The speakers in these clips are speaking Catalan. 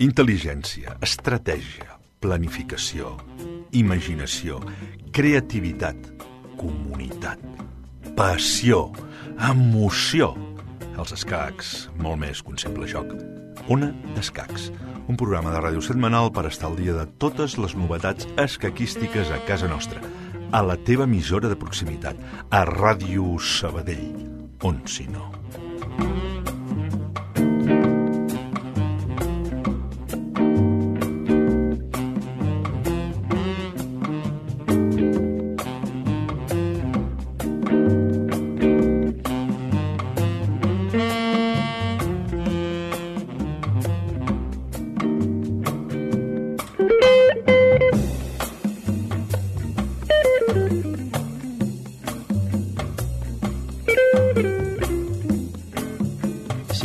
Intel·ligència, estratègia, planificació, imaginació, creativitat, comunitat, passió, emoció. Els escacs, molt més que un simple joc. Ona d'Escacs, un programa de ràdio setmanal per estar al dia de totes les novetats escaquístiques a casa nostra, a la teva emissora de proximitat, a Ràdio Sabadell, on si no.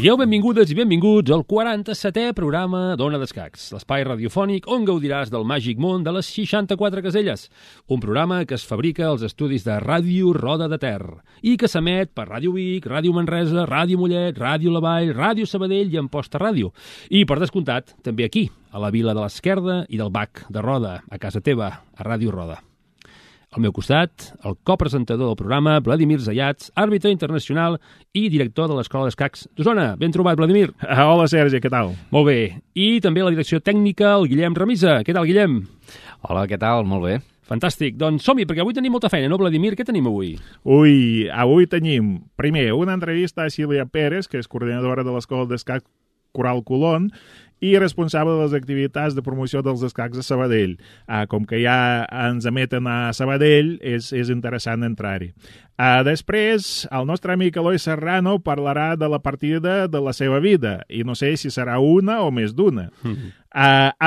Sigueu benvingudes i benvinguts al 47è programa d'Ona d'Escacs, l'espai radiofònic on gaudiràs del màgic món de les 64 caselles, un programa que es fabrica als estudis de Ràdio Roda de Ter i que s'emet per Ràdio Vic, Ràdio Manresa, Ràdio Mollet, Ràdio La Vall, Ràdio Sabadell i Amposta Ràdio. I, per descomptat, també aquí, a la Vila de l'Esquerda i del Bac de Roda, a casa teva, a Ràdio Roda. Al meu costat, el copresentador del programa, Vladimir Zayats, àrbitre internacional i director de l'Escola d'Escacs d'Osona. Ben trobat, Vladimir. Hola, Sergi, què tal? Molt bé. I també la direcció tècnica, el Guillem Remisa. Què tal, Guillem? Hola, què tal? Molt bé. Fantàstic. Doncs som-hi, perquè avui tenim molta feina, no, Vladimir? Què tenim avui? Avui tenim, primer, una entrevista a Sílvia Pérez, que és coordinadora de l'Escola d'Escacs Coral Colón, i responsable de les activitats de promoció dels escacs a Sabadell. Com que ja ens emeten a Sabadell, és interessant entrar-hi. Després, el nostre amic Eloi Serrano parlarà de la partida de la seva vida, i no sé si serà una o més d'una.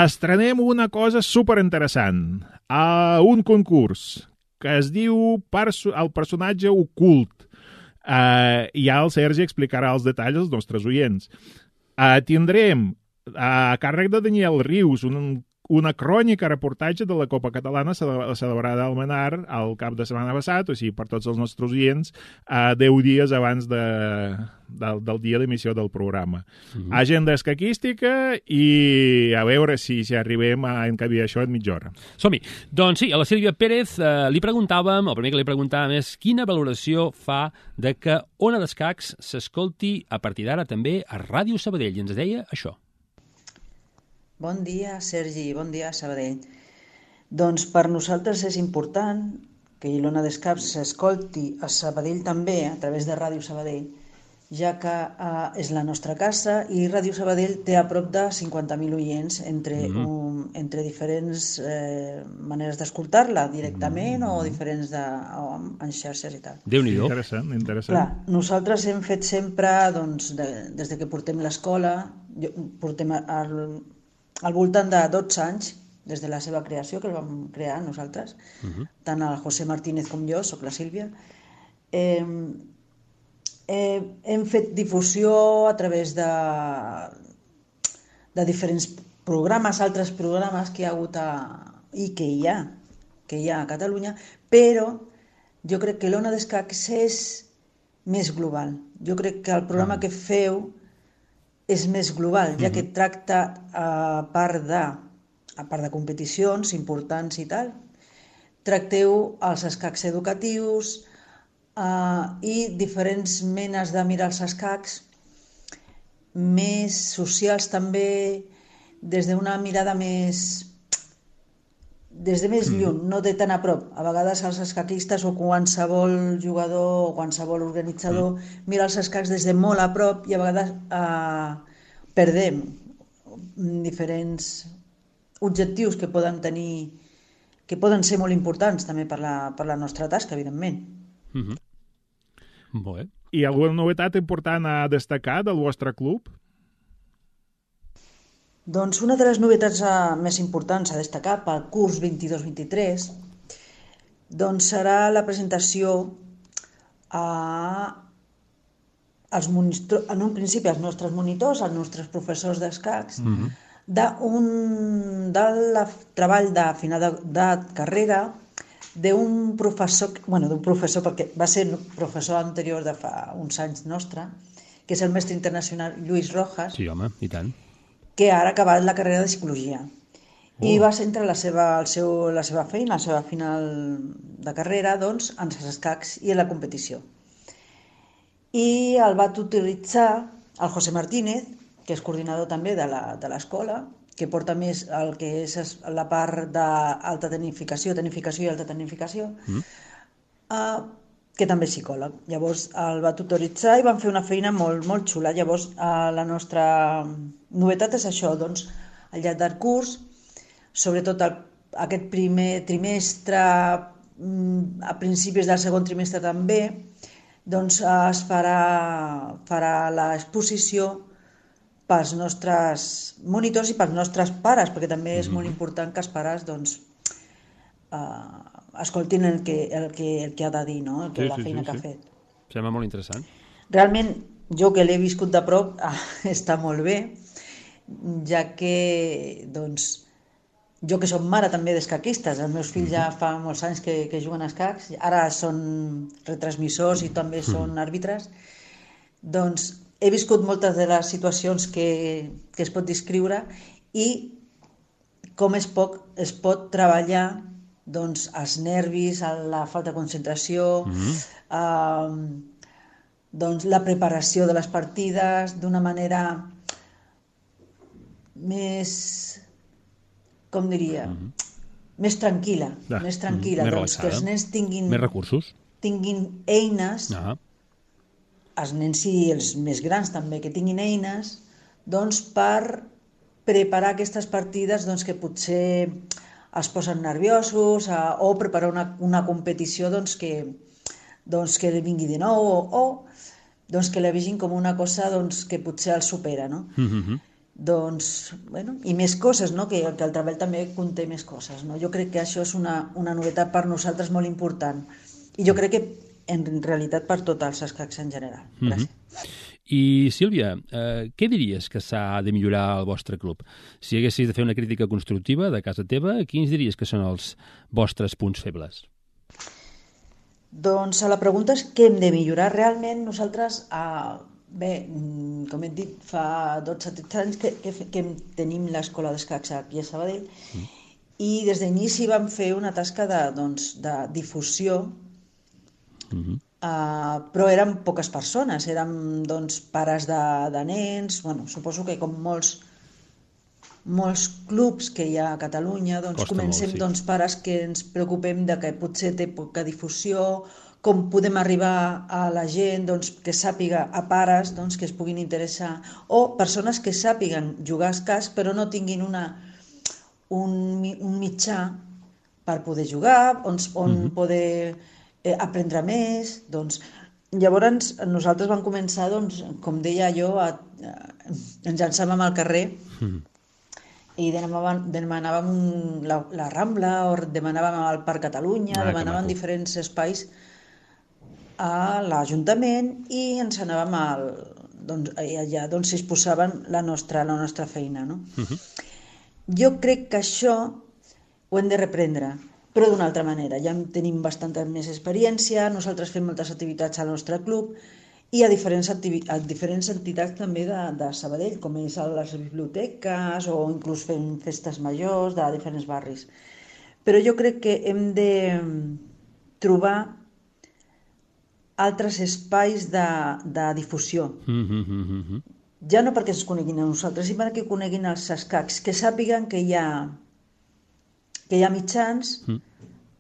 Estrenem una cosa superinteressant, un concurs que es diu El personatge ocult. Ja el Sergi explicarà els detalls als nostres oients. Tindrem a càrrec de Daniel Rius una crònica reportatge de la Copa Catalana celebrada al Menar al cap de setmana passat, o sigui, per tots els nostres oients, 10 dies abans del dia d'emissió del programa. Agenda escaquística i a veure si arribem a encabir això en mitja hora. Som-hi. Doncs sí, a la Sílvia Pérez li preguntàvem, el primer que li preguntàvem és quina valoració fa de que Ona d'Escacs s'escolti a partir d'ara també a Ràdio Sabadell. I ens deia això. Bon dia, Sergi, bon dia, Sabadell. Doncs per nosaltres és important que l'Ona d'Escacs s'escolti a Sabadell també, a través de Ràdio Sabadell, ja que és la nostra casa i Ràdio Sabadell té a prop de 50.000 oients entre diferents maneres d'escoltar-la, directament o diferents en xarxes i tal. Déu-n'hi-do. Interessant. Clar, nosaltres hem fet sempre, doncs, des que portem l'escola, portem al voltant de 12 anys, des de la seva creació, que el vam crear nosaltres, tant el José Martínez com jo, soc la Sílvia. Hem fet difusió a través de diferents programes, altres programes que hi ha hagut i que hi ha a Catalunya, però jo crec que l'Ona d'Escacs és més global. Jo crec que el programa que feu és més global, ja que tracta, a part de competicions importants i tal, tracteu els escacs educatius i diferents menes de mirar els escacs, més socials també, des d'una mirada més lluny, no de tan a prop. A vegades els escaquistes o qualsevol jugador o qualsevol organitzador mira els escacs des de molt a prop i a vegades perdem diferents objectius que poden tenir, que poden ser molt importants també per la nostra tasca, evidentment. Molt bé. I alguna novetat important a destacar del vostre club? Doncs una de les novetats més importants a destacar pel curs 22-23 doncs serà la presentació en un principi als nostres monitors, als nostres professors d'escacs, del treball de final de carrera d'un professor, perquè va ser professor anterior de fa uns anys nostre, que és el mestre internacional Lluís Rojas, Sí, home, i tant. que ara ha acabat la carrera de psicologia. I va centrar la seva feina, la seva final de carrera, doncs, en els escacs i en la competició. I el va tutoritzar el José Martínez, que és coordinador també de l'escola, que porta més el que és la part d'alta tecnificació i alta tecnificació, que també és psicòleg. Llavors el va tutoritzar i van fer una feina molt, molt xula. Llavors la nostra novetat és això, doncs, al llarg del curs, sobretot aquest primer trimestre, a principis del segon trimestre també, doncs es farà l'exposició pels nostres monitors i pels nostres pares, perquè també és molt important que els pares doncs, escoltin el que ha de dir, no? La feina que ha fet. Sembla molt interessant. Realment, jo que l'he viscut de prop, està molt bé, ja que doncs, jo que soc mare també d'escaquistes, els meus fills ja fa molts anys que juguen a escacs, ara són retransmissors i també són àrbitres, doncs he viscut moltes de les situacions que es pot descriure i com es pot treballar doncs, els nervis, la falta de concentració, doncs, la preparació de les partides d'una manera més, com diria, més tranquil·la, més doncs, que els nens tinguin més recursos, eines, els nens i els més grans també, que tinguin eines doncs, per preparar aquestes partides doncs, que potser es posen nerviosos o preparar una competició doncs, que li vingui de nou o doncs, que la vegin com una cosa doncs, que potser el supera, no? Doncs, bueno, i més coses, no? Que el treball també conté més coses, no? Jo crec que això és una novetat per nosaltres molt important i jo crec que en realitat per tots els escacs en general. Gràcies. I, Sílvia, què diries que s'ha de millorar al vostre club? Si haguessis de fer una crítica constructiva de casa teva, quins diries que són els vostres punts febles? Doncs la pregunta és què hem de millorar. Realment nosaltres, bé, com he dit, fa 12-13 anys que tenim l'escola d'escacs aquí a Sabadell i des d'inici vam fer una tasca de difusió, però érem poques persones, érem doncs, pares de nens, bueno, suposo que com molts clubs que hi ha a Catalunya, doncs comencem doncs, pares que ens preocupem de que potser té poca difusió, com podem arribar a la gent doncs, que sàpiga, a pares doncs, que es puguin interessar, o persones que sàpiguen jugar a escacs però no tinguin un mitjà per poder jugar, on poder aprendre més. Doncs, llavors nosaltres vam començar, doncs, com deia jo, ens llançàvem al carrer i demanàvem la Rambla o demanàvem al Parc Catalunya, demanàvem diferents espais a l'Ajuntament i ens anàvem allà doncs exposaven la nostra feina, no? Jo crec que això ho hem de reprendre, però d'una altra manera. Ja tenim bastanta més experiència, nosaltres fem moltes activitats al nostre club i a diferents entitats també de Sabadell, com és a les biblioteques o inclús fem festes majors de diferents barris. Però jo crec que hem de trobar altres espais de difusió. Ja no perquè ens coneguin a nosaltres, sinó perquè coneguin els escacs, que sàpiguen que hi ha mitjans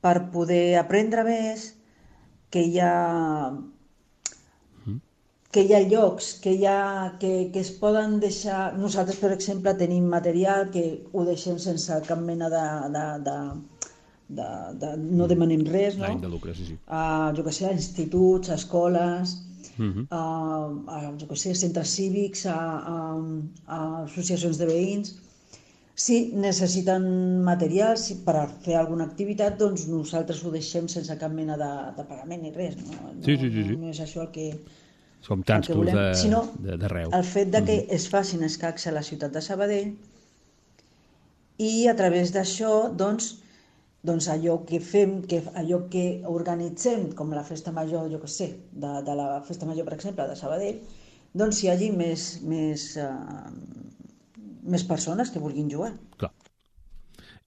per poder aprendre més, que hi ha llocs, que es poden deixar... Nosaltres, per exemple, tenim material que ho deixem sense cap mena no demanem res, no? De lucre, sí. Jo què sé, a instituts, a escoles, jo què sé, centres cívics, a associacions de veïns. Si necessiten materials per fer alguna activitat, doncs nosaltres ho deixem sense cap mena de pagament ni res. No és això el que... Som tants clubs d'arreu. El fet de que es facin escacs a la ciutat de Sabadell i a través d'això, doncs, doncs allò que fem, allò que organitzem, com la festa major, jo què sé, de la festa major, per exemple, de Sabadell, doncs hi hagi més persones que vulguin jugar. Clar.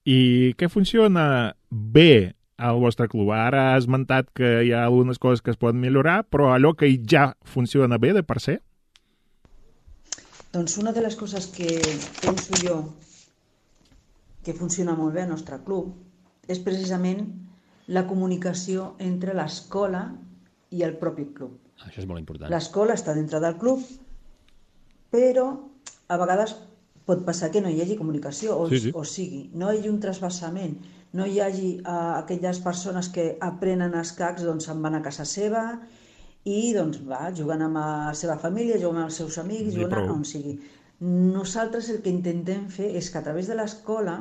I què funciona bé al vostre club? Ara has esmentat que hi ha algunes coses que es poden millorar, però allò que ja funciona bé de per ser? Doncs una de les coses que penso jo que funciona molt bé al nostre club és precisament la comunicació entre l'escola i el propi club. Això és molt important. L'escola està dintre del club, però a vegades pot passar que no hi hagi comunicació, o sigui, no hi hagi un trasbassament, no hi hagi aquelles persones que aprenen escacs, doncs se'n van a casa seva i doncs juguen amb la seva família, juguen amb els seus amics, juguen on sigui. Nosaltres el que intentem fer és que a través de l'escola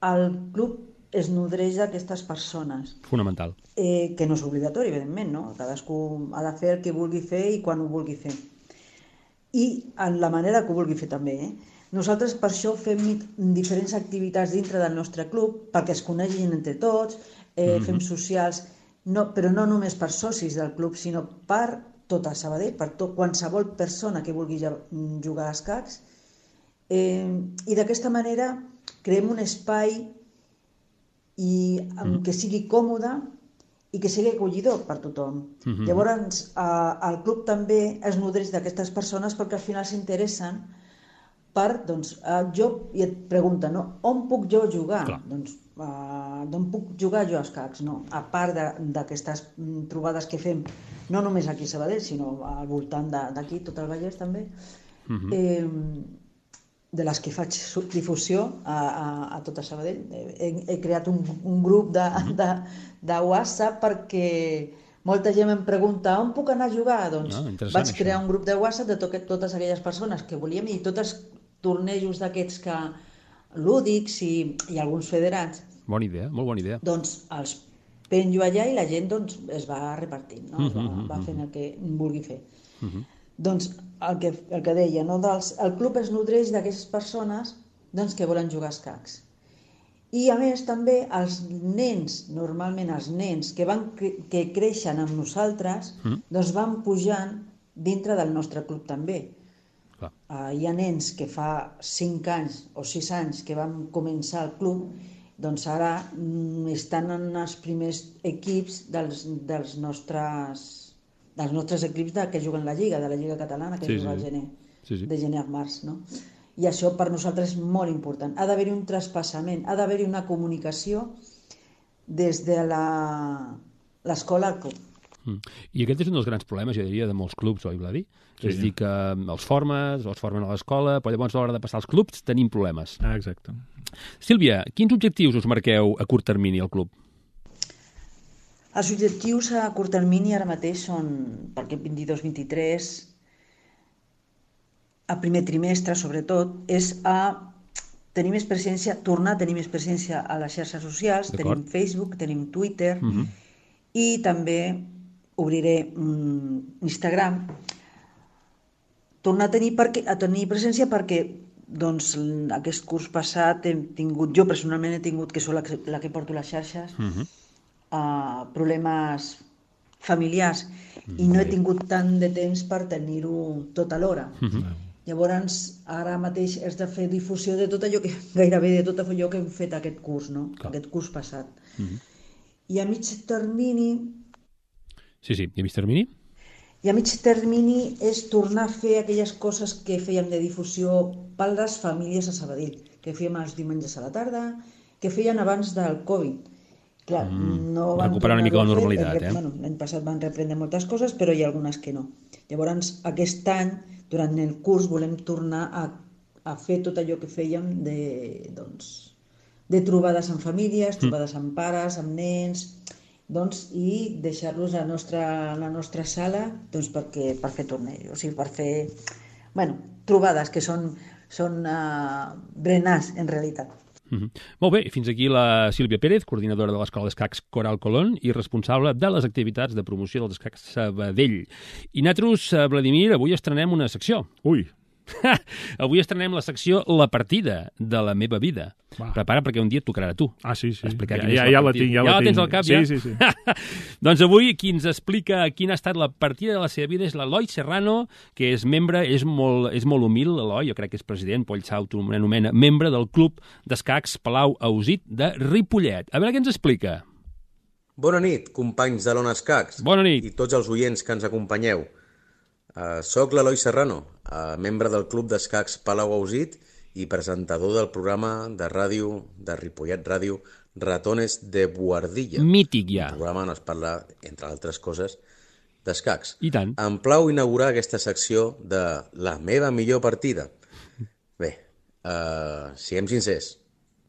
el club es nodreix d'aquestes persones. Fonamental. Que no és obligatori, evidentment, no? Cadascú ha de fer el que vulgui fer i quan ho vulgui fer. I en la manera que ho vulgui fer també. Nosaltres per això fem diferents activitats dintre del nostre club perquè es coneixin entre tots, fem socials, però no només per socis del club, sinó per tota Sabadell, per qualsevol persona que vulgui jugar a escacs. I d'aquesta manera creem un espai que sigui còmode i que sigui acollidor per tothom. Llavors, el club també es nodreix d'aquestes persones perquè al final s'interessen per, doncs, i et pregunten, no? On puc jo jugar? Doncs, d'on puc jugar jo a escacs? No? A part d'aquestes trobades que fem, no només aquí a Sabadell, sinó al voltant d'aquí, tot el Vallès també, de les que faig difusió a tota Sabadell. He creat un grup de WhatsApp perquè molta gent em pregunta on puc anar a jugar? Doncs vaig crear un grup de WhatsApp de totes aquelles persones que volíem i tots els tornejos d'aquests lúdics i alguns federats. Bona idea, molt bona idea. Doncs els penjo allà i la gent es va repartint, no? Va fent el que vulgui fer. Doncs el que deia, no? El club es nodreix d'aquestes persones que volen jugar a escacs. I a més també els nens, normalment els nens que creixen amb nosaltres, doncs van pujant dintre del nostre club també. Hi ha nens que fa 5 anys o 6 anys que van començar al club, doncs ara estan en els primers equips dels nostres equips que juguen la Lliga, de la Lliga Catalana, que juga al gener, de gener a març, no? I això per nosaltres és molt important. Ha d'haver-hi un traspassament, ha d'haver-hi una comunicació des de l'escola al club. I aquest és un dels grans problemes, jo diria, de molts clubs, oi, Vladi? És dir, que els formen a l'escola, però llavors a l'hora de passar als clubs tenim problemes. Exacte. Sílvia, quins objectius us marqueu a curt termini al club? Els objectius a curt termini ara mateix són, per aquest 22-23, a primer trimestre sobretot, és tenir més presència, tornar a tenir més presència a les xarxes socials, tenim Facebook, tenim Twitter, i també obriré Instagram, tornar a tenir presència perquè doncs, aquest curs passat jo personalment he tingut, que soc la que porto les xarxes, problemes familiars i no he tingut tant de temps per tenir-ho tot alhora. Llavors, ara mateix has de fer difusió de tot allò gairebé de tot allò que hem fet aquest curs, no? Aquest curs passat. I a mig termini... Sí, i a mig termini? I a mig termini és tornar a fer aquelles coses que fèiem de difusió per les famílies a Sabadell, que fèiem els diumenges a la tarda, que feien abans del Covid. Clar, no van recuperar una mica la normalitat, L'any passat van reprendre moltes coses, però hi ha algunes que no. Llavors, aquest any, durant el curs, volem tornar a fer tot allò que fèiem de trobades amb famílies, trobades amb pares, amb nens, i deixar-los a la nostra sala per fer tornejos, o sigui, per fer trobades que són berenars, en realitat. Molt bé, fins aquí la Sílvia Pérez, coordinadora de l'Escola d'Escacs Coral Colón i responsable de les activitats de promoció dels escacs Sabadell. I nosaltres, Vladimir, avui estrenem una secció. Ui, Avui estrenem la secció La partida de la meva vida. Va. Prepara, perquè un dia et tocarà a tu. Ah, sí. Explicar Ja, quina és ja, la ja la partida. tinc, ja la la tinc. tens al cap, sí, ja? Sí. Doncs avui qui ens explica quina ha estat la partida de la seva vida és l'Eloi Serrano, que és membre, és molt humil, l'Eloi, jo crec que és president, Poll s'autoanomena membre del Club d'Escacs Palau Ausit de Ripollet. A veure què ens explica. Bona nit, companys de l'Ona Escacs. Bona nit. I tots els oients que ens acompanyeu. Soc l'Eloi Serrano, membre del Club d'Escacs Palau Ausit i presentador del programa de ràdio de Ripollet Ràdio Ratones de Buhardilla. Mític, ja. Un programa on es parla, entre altres coses, d'escacs. I tant. Em plau inaugurar aquesta secció de la meva millor partida. Bé, siguem sincers,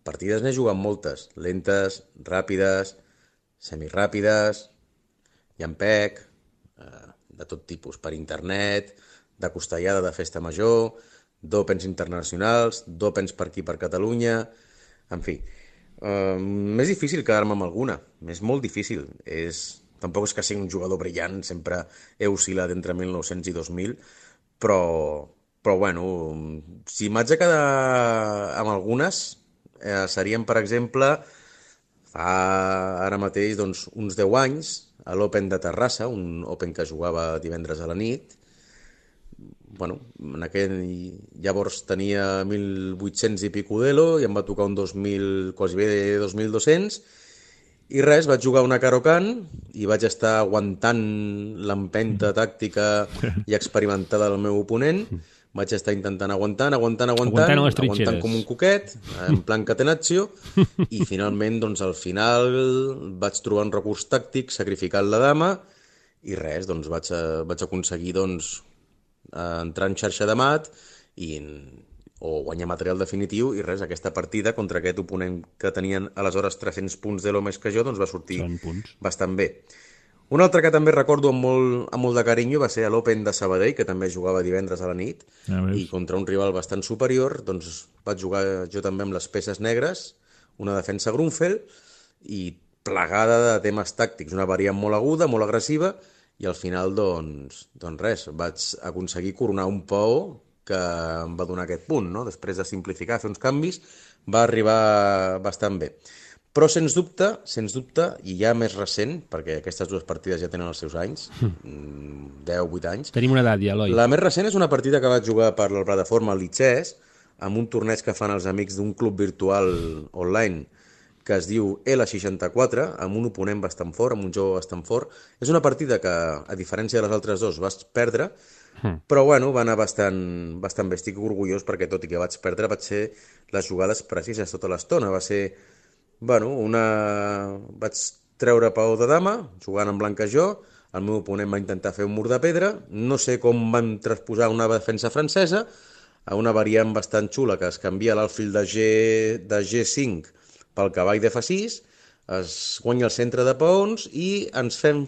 partides n'he jugat moltes, lentes, ràpides, semiràpides, llampec, de tot tipus, per internet, de costellada de festa major, d'opens internacionals, d'opens per aquí per Catalunya, en fi. M'és difícil quedar-me amb alguna, és molt difícil. Tampoc és que sigui un jugador brillant, sempre he oscil·lat entre 1900 i 2000, però bueno, si m'haig de quedar amb algunes, serien, per exemple, fa ara mateix doncs, uns 10 anys, a l'Open de Terrassa, un Open que jugava divendres a la nit. Bueno, llavors tenia 1.800 i pico d'elo i em va tocar un 2.000, quasi bé 2.200, i res, vaig jugar una Caro-Can i vaig estar aguantant l'empenta tàctica i experimentada del meu oponent. Vaig estar intentant aguantant com un coquet, en plan catenaccio, i finalment, doncs, al final vaig trobar un recurs tàctic, sacrificant la dama, i res, doncs vaig aconseguir entrar en xarxa de mat o guanyar material definitiu, i res, aquesta partida contra aquest oponent que tenien aleshores 300 punts d'elo més que jo, doncs va sortir bastant bé. Un altre que també recordo amb molt de carinyo va ser l'Open de Sabadell, que també jugava divendres a la nit, i contra un rival bastant superior, doncs vaig jugar jo també amb les peces negres, una defensa Grunfeld, i plegada de temes tàctics, una variant molt aguda, molt agressiva, i al final, doncs res, vaig aconseguir coronar un Pou que em va donar aquest punt, no? Després de simplificar, fer uns canvis, va arribar bastant bé. Però, sens dubte, i ja més recent, perquè aquestes dues partides ja tenen els seus anys, 10-8 anys... Tenim una edat ja, Eloi. La més recent és una partida que vaig jugar per la plataforma Lichess, amb un torneig que fan els amics d'un club virtual online que es diu L64, amb un oponent bastant fort, amb un jove bastant fort. És una partida que, a diferència de les altres dos, vas perdre, però bueno, va anar bastant bé. Estic orgullós perquè, tot i que vaig perdre, vaig ser les jugades precises tota l'estona. Va ser... Bueno, vaig treure Paó de dama, jugant en blanca jo, el meu oponent va intentar fer un mur de pedra, no sé com van transposar una defensa francesa a una variant bastant xula que es canvia l'alfil de G5 pel cavall de F6, es guanya el centre de peons i ens fem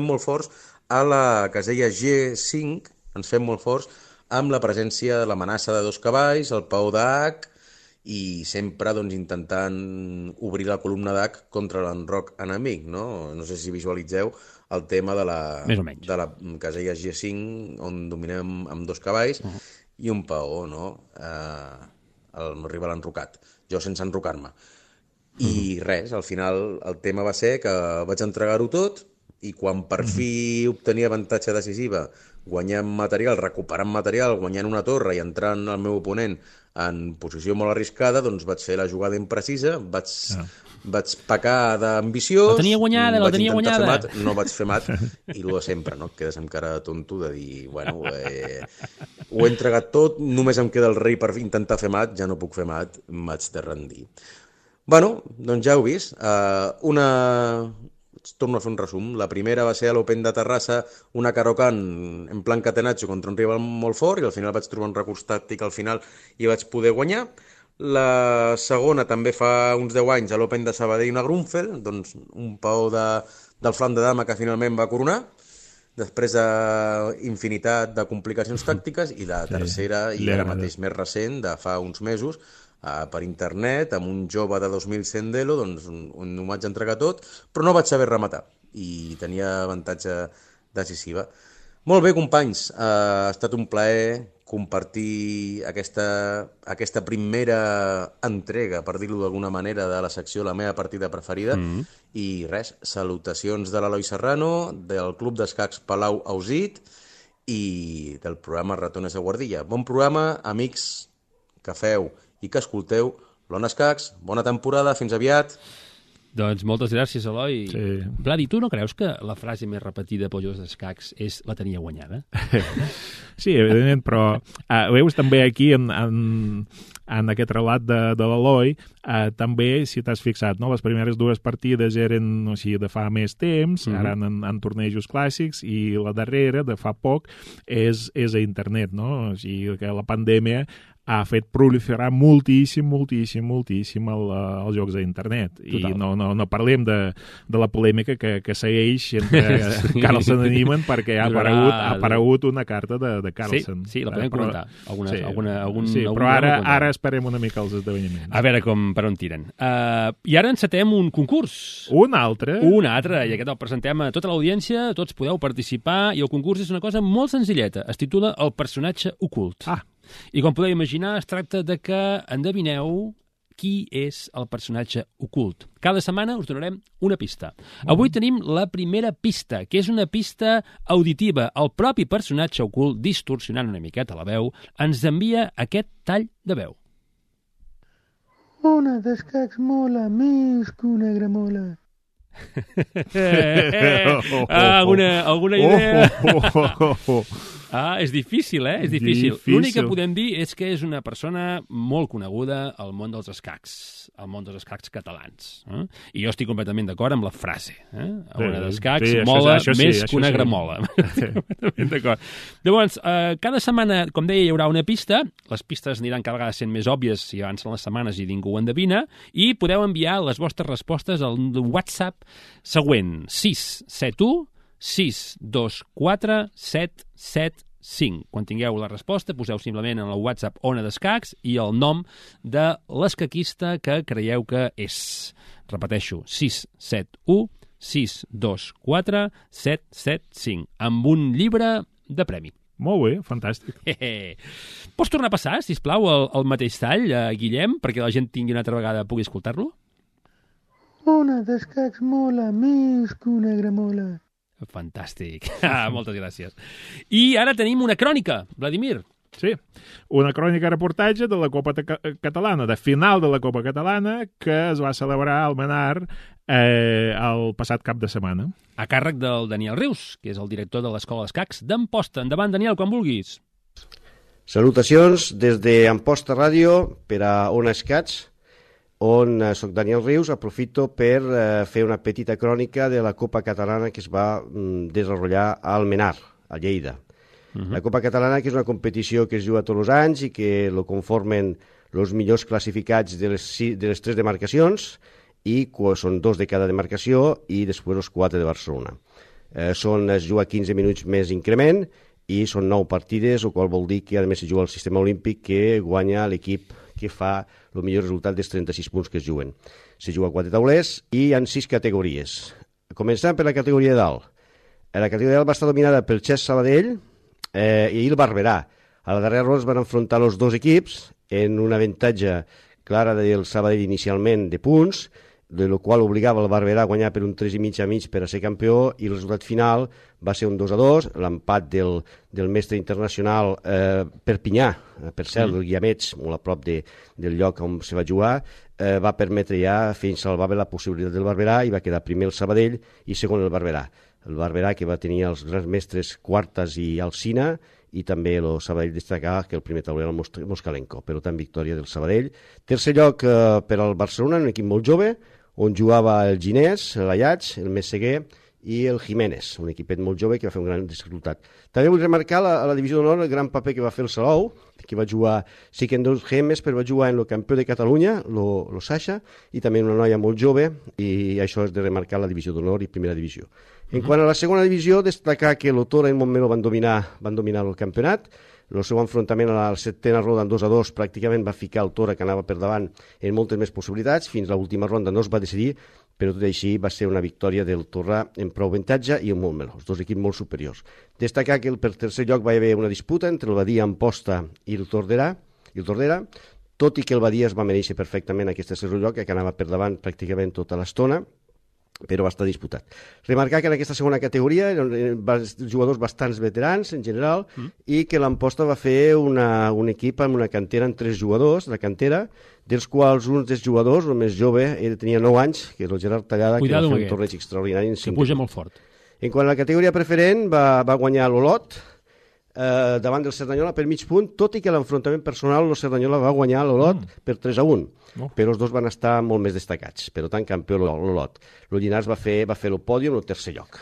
molt forts a la casella G5, ens fem molt forts amb la presència de l'amenaça de 2 cavalls, el peó d'H, i sempre intentant obrir la columna d'H contra l'enroc enemic, no? No sé si visualitzeu el tema de la casella G5, on dominem amb 2 cavalls i un peó, no? El meu rival enrocat, jo sense enrocar-me. I res, al final el tema va ser que vaig entregar-ho tot, i quan per fi obtenia avantatge decisiva, guanyant material, recuperant material, guanyant una torre i entrant el meu oponent en posició molt arriscada, doncs vaig fer la jugada imprecisa, vaig pecar d'ambiciós... La tenia guanyada! No vaig fer mat, i el de sempre, no? Et quedes amb cara de tonto de dir, bueno, ho he entregat tot, només em queda el rei per intentar fer mat, ja no puc fer mat, m'haig de rendir. Bueno, doncs ja heu vist, torno a fer un resum. La primera va ser a l'Open de Terrassa, una Caro-Can en plan catenaccio contra un rival molt fort, i al final vaig trobar un recurs tàctic al final i vaig poder guanyar. La segona també fa uns 10 anys a l'Open de Sabadell, una Grunfeld, doncs un peó del flanc de dama que finalment va coronar, després d'infinitat de complicacions tàctiques, i la tercera, i ara mateix més recent, de fa uns mesos, per internet, amb un jove de 2.100 d'elo, doncs on ho vaig entregar tot, però no vaig saber rematar, i tenia avantatge decisiva. Molt bé, companys, ha estat un plaer compartir aquesta primera entrega, per dir-ho d'alguna manera, de la secció La meva partida preferida. I res, salutacions de l'Eloi Serrano, del Club d'Escacs Palau Ausit i del programa Ratones de Guardilla. Bon programa, amics que feu i que escolteu l'Ona Escacs. Bona temporada, fins aviat. Doncs moltes gràcies, Eloi. Sí. Vladi, tu no creus que la frase més repetida pels jugadors d'escacs és la tenia guanyada? Sí, evidentment, però veus també aquí en aquest relat de l'Eloi, també, si t'has fixat, no? Les primeres dues partides eren de fa més temps, ara en tornejos clàssics, i la darrera, de fa poc, és a internet, no? O sigui, que la pandèmia ha fet proliferar moltíssim els jocs a internet. Total. I no parlem de la polèmica que segueix entre Carlsen i Niemann, perquè ha aparegut una carta de Carlsen. Sí, la podem comentar. Però ara esperem una mica els esdeveniments. A veure per on tiren. I ara encetem un concurs. Un altre, i aquest el presentem a tota l'audiència, tots podeu participar, i el concurs és una cosa molt senzilleta. Es titula El personatge ocult. I com podeu imaginar, es tracta de que endevineu qui és el personatge ocult. Cada setmana us donarem una pista. Avui tenim la primera pista, que és una pista auditiva. El propi personatge ocult, distorsionant una miqueta la veu, ens envia aquest tall de veu. Ona d'escacs mola més que una gramola. Alguna idea? És difícil, És difícil. L'únic que podem dir és que és una persona molt coneguda al món dels escacs, al món dels escacs catalans. I jo estic completament d'acord amb la frase. Una d'escacs mola més que una gramola. D'acord. Llavors, cada setmana, com deia, hi haurà una pista. Les pistes aniran cada vegada sent més òbvies si avancen les setmanes i ningú ho endevina, i podeu enviar les vostres respostes al WhatsApp següent: 671 624 775. Quan tingueu la resposta, poseu simplement en el WhatsApp Ona d'Escacs i el nom de l'escaquista que creieu que és. Repeteixo, 671 624 775, amb un llibre de premi. Molt bé, fantàstic. Pots tornar a passar, sisplau, el mateix tall, Guillem, perquè la gent tingui una altra vegada pugui escoltar-lo? Ona d'escacs mola més que una gramola. Fantàstic. Moltes gràcies. I ara tenim una crònica, Vladimir. Sí, una crònica reportatge de la Copa Catalana, de final de la Copa Catalana, que es va celebrar al Menar el passat cap de setmana. A càrrec del Daniel Rius, que és el director de l'Escola d'Escacs d'Amposta. Endavant, Daniel, quan vulguis. Salutacions des d'Amposta Ràdio per a Ona Escacs, on soc Daniel Rius. Aprofito per fer una petita crònica de la Copa Catalana que es va desenvolupar al Menar, a Lleida. La Copa Catalana, que és una competició que es juga tots els anys i que lo conformen els millors classificats de les 3 demarcacions, i són 2 de cada demarcació i després els 4 de Barcelona. Es juga 15 minuts més increment i són 9 partides, el qual vol dir que a més es juga al sistema olímpic, que guanya l'equip que fa el millor resultat dels 36 punts que es juguen. Se juga a 4 taulers i hi ha 6 categories. Començant per la categoria de dalt. La categoria de dalt va estar dominada pel Xes Sabadell i el Barberà. A la darrera ronda es van enfrontar els 2 equips en un avantatge clara del Sabadell inicialment de punts, de lo qual obligava el Barberà a guanyar per un 3,5 a mig per a ser campió, i el resultat final va ser un 2-2, l'empat del mestre internacional Perpinyà, per cert, el Guiamets, molt a prop del lloc on se va jugar, va permetre ja fins salvar la possibilitat del Barberà, i va quedar primer el Sabadell i segon el Barberà. El Barberà, que va tenir els grans mestres Quartas i Alsina, i també el Sabadell destacar que el primer tauler era el Moscalenco, per tant victòria del Sabadell. Tercer lloc per al Barcelona, un equip molt jove, on jugava el Ginés, l'Ayats, el Messeguer i el Jiménez, un equipet molt jove que va fer un gran resultat. També vull remarcar a la divisió d'honor el gran paper que va fer el Salou, que va jugar, sí que en 2 gemes, però va jugar en el campió de Catalunya, lo Sasha, i també una noia molt jove, i això és de remarcar la divisió d'honor i primera divisió. En quant a la segona divisió, destacar que l'Otora i el Montmeló van dominar el campionat. El seu enfrontament a la setena ronda en 2-2 pràcticament va ficar el Tora, que anava per davant, en moltes més possibilitats. Fins a l'última ronda no es va decidir, però tot i així va ser una victòria del Torrà en prou avantatge i en molt menor, els dos equips molt superiors. Destacar que per tercer lloc va haver una disputa entre el Badia Amposta i el Tordera, tot i que el Badia es va mereixer perfectament aquest tercer lloc, que anava per davant pràcticament tota l'estona, però va estar disputat. Remarcar que en aquesta segona categoria eren jugadors bastants veterans en general i que l'Amposta va fer un equip amb una cantera amb 3 jugadors, la cantera, dels quals un dels jugadors, el més jove, tenia 9 anys, que és el Gerard Tallada, que va fer un torneig extraordinari en 5 que puja molt fort. En quant a la categoria preferent, va guanyar l'Olot, davant del Cerdanyola per mig punt, tot i que l'enfrontament personal el Cerdanyola va guanyar l'Olot per 3-1, però els dos van estar molt més destacats, per tant campió l'Olot. El Llinars va fer el pòdium el tercer lloc.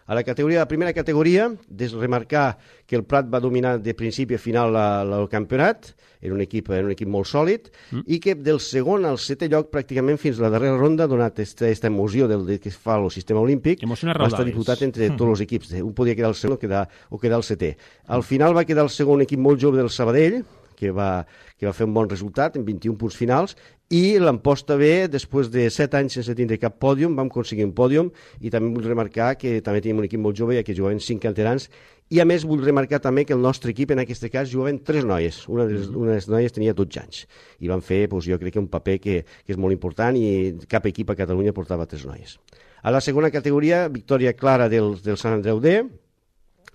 A la primera categoria, remarcar que el Prat va dominar de principi a final el campionat, era un equip molt sòlid, i que del segon al setè lloc, pràcticament fins a la darrera ronda, donat aquesta emoció que fa el sistema olímpic, va estar disputat entre tots els equips. Un podia quedar el segon o quedar el setè. Al final va quedar el segon equip molt jove del Sabadell, que va fer un bon resultat, en 21 punts finals, i l'Amposta B, després de 7 anys sense tindre cap pòdium, vam aconseguir un pòdium, i també vull remarcar que també tenim un equip molt jove, ja que jugaven 5 canterans, i a més vull remarcar també que el nostre equip, en aquest cas, jugaven 3 noies. Una de les noies tenia 12 anys, i van fer, jo crec que un paper que és molt important, i cap equip a Catalunya portava 3 noies. A la segona categoria, victòria clara del Sant Andreu D,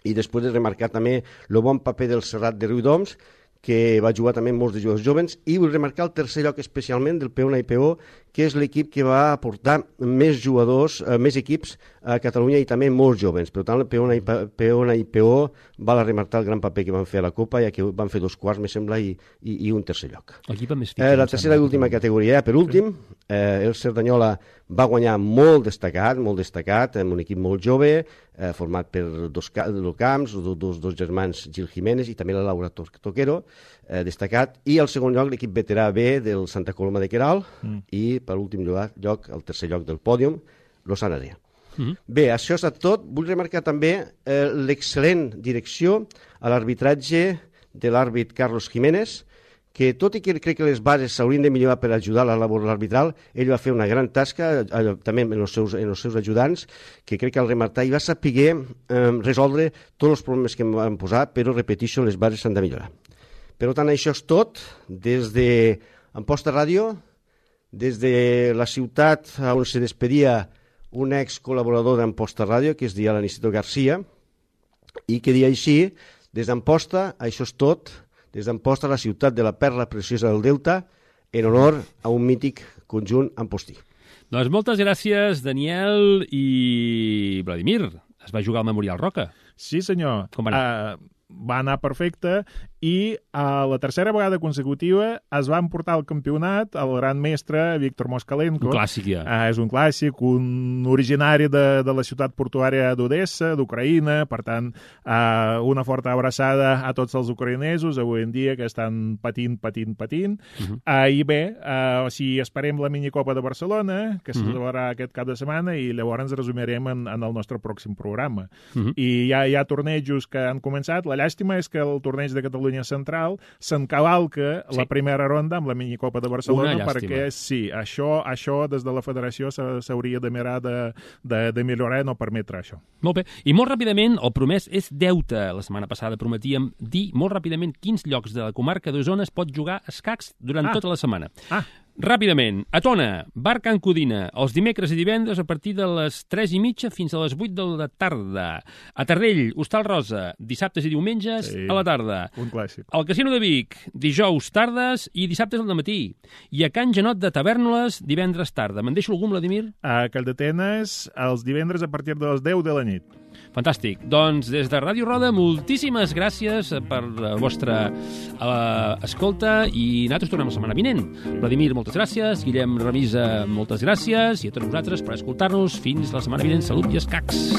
i després de remarcar també el bon paper del Serrat de Riudoms, que va jugar també molts de jugadors joves, i vull remarcar el tercer lloc especialment del P1 i PO, que és l'equip que va aportar més jugadors, més equips a Catalunya i també molts joves. Per tant, el P1 i PO val a remarcar el gran paper que van fer a la Copa, ja que van fer 2 quarts, me sembla, i un tercer lloc. La tercera i última categoria, per últim, el Cerdanyola va guanyar molt destacat, amb un equip molt jove, format per dos camps, dos germans Gil Jiménez i també la Laura Toquero, destacat, i al segon lloc l'equip veterà B del Santa Coloma de Queralt, i per l'últim lloc, el tercer lloc del pòdium, l'Osana Rea. Bé, això és tot. Vull remarcar també l'excel·lent direcció a l'arbitratge de l'àrbit Carlos Jiménez, que tot i que crec que les bases s'haurien de millorar per ajudar a la labor arbitral, ell va fer una gran tasca, també en els seus ajudants, que crec que al remarcar i va saber resoldre tots els problemes que em van posar, però repeteixo, les bases s'han de millorar. Per tant, això és tot. Des d'Amposta Ràdio, des de la ciutat on se despedia un ex-col·laborador d'Amposta Ràdio, que es deia l'Aniceto Garcia, i que dia així, des d'Amposta, això és tot, des d'Amposta, la ciutat de la perla preciosa del Delta, en honor a un mític conjunt ampostí. Doncs moltes gràcies, Daniel i Vladimir. Es va jugar al Memorial Roca. Sí, senyor. Com va anar? Va anar perfecte, i a la tercera vegada consecutiva es va emportar el campionat el gran mestre Víctor Moskalenko. Un clàssic, ja. És un clàssic, un originari de la ciutat portuària d'Odessa, d'Ucraïna. Per tant, una forta abraçada a tots els ucraïnesos avui en dia que estan patint. I bé, esperem la minicopa de Barcelona, que se celebrarà aquest cap de setmana, i llavors ens resumirem en el nostre pròxim programa. I hi ha tornejos que han començat. La llàstima és que el torneig de Catalunya Central s'encavalca la primera ronda amb la minicopa de Barcelona, perquè sí, això des de la federació s'hauria de mirar de millorar i no permetre això. Molt bé. I molt ràpidament, el promès és deute. La setmana passada prometíem dir molt ràpidament quins llocs de la comarca d'Osona es pot jugar a escacs durant tota la setmana. Ràpidament, a Tona, Bar Can Codina, els dimecres i divendres a partir de les 3:30 fins a les 8 de la tarda. A Tardell, Hostal Rosa, dissabtes i diumenges a la tarda. Un clàssic. Al Casino de Vic, dijous tardes i dissabtes al dematí. I a Can Janot de Tavèrnoles, divendres tarda. Me'n deixo algun, Vladimir? A Calldetenes, els divendres a partir de les 10 de la nit. Fantàstic. Doncs des de Ràdio Roda, moltíssimes gràcies per la vostra escolta, i nosaltres tornem la setmana vinent. Vladimir, moltes gràcies. Guillem Remisa, moltes gràcies. I a tots vosaltres per escoltar-nos. Fins la setmana vinent. Salut i escacs.